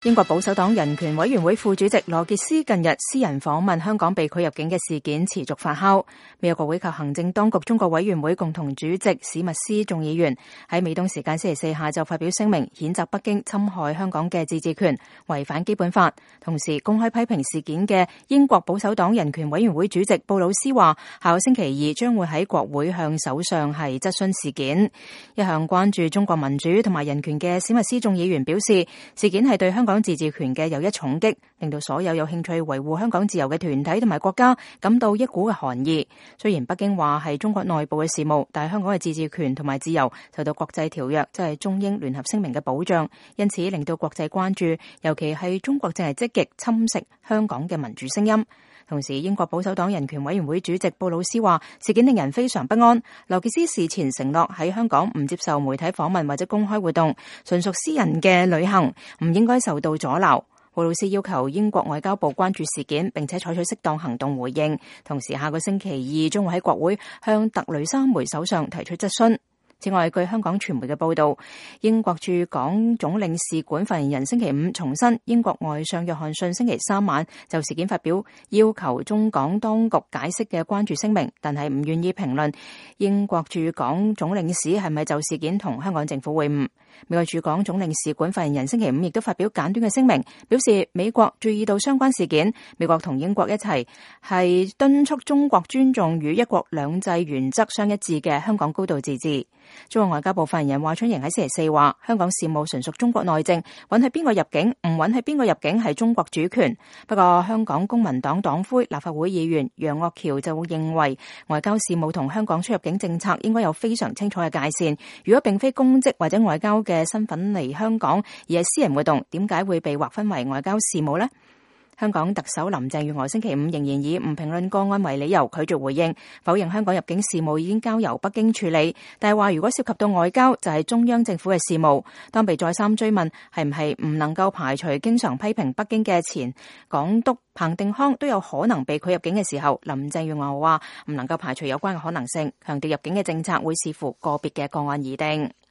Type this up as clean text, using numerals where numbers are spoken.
英國保守黨人權委員會副主席羅傑斯近日私人訪問香港被拒入境嘅事件持續發酵。美國國會及行政當局中國委員會共同主席史密斯眾議員喺美東時間星期四下晝發表聲明，譴責北京侵害香港嘅自治權，違反基本法。同時公開批評事件嘅英國保守黨人權委員會主席布魯斯話，下個星期二將會喺國會向首相係質詢事件。一向關注中國民主同埋人權嘅史密斯眾議員表示，事件係對香港自治權嘅又一重擊，令到所有有興趣維護香港自由嘅團體同埋國家感到一股嘅寒意。雖然北京話係中國內部嘅事務，但係香港嘅自治權同埋自由受到國際條約，即係中英聯合聲明嘅保障，因此令到國際關注，尤其係中國正係積極侵蝕香港嘅民主聲音。同時，英國保守黨人權委員會主席布魯斯話，事件令人非常不安。羅傑斯事前承諾喺香港唔接受媒體訪問或者公開活動，純屬私人嘅旅行，唔應該受到阻撓。布魯斯要求英國外交部關注事件，並且採取適當行動回應。同時，下個星期二將會喺國會向特雷莎梅首相提出質詢。此外，據香港傳媒嘅報道，英國駐港總領事館發言人星期五重申，英國外相約翰遜星期三晚就事件發表要求中港當局解釋嘅關注聲明，但係唔願意評論英國駐港總領事係咪就事件同香港政府會晤。美國駐港總領事館發言人星期五亦都發表簡短嘅聲明，表示美國注意到相關事件，美國同英國一齊係敦促中國尊重與一國兩制原則相一致嘅香港高度自治。中國外交部發言人華春瑩喺星期四話，香港事務純屬中國內政，允許邊個入境唔允許邊個入境係中國主權。不過香港公民黨黨魁立法會議員楊岳橋就會認為，外交事務同香港出入境政策應該有非常清楚嘅界線。如果並非公職或者外交嘅身份嚟香港，而係私人活動，點解會被劃分為外交事務呢？香港特首林鄭月娥星期五仍然以唔評論個案為理由拒絕回應，否認香港入境事務已經交由北京處理，但係話如果涉及到外交就係中央政府嘅事務。當被再三追問係唔係唔能夠排除經常批評北京嘅前港督彭定康都有可能被拒入境嘅時候，林鄭月娥話唔能夠排除有關嘅可能性，強調入境嘅政策會視乎個別嘅個案而定。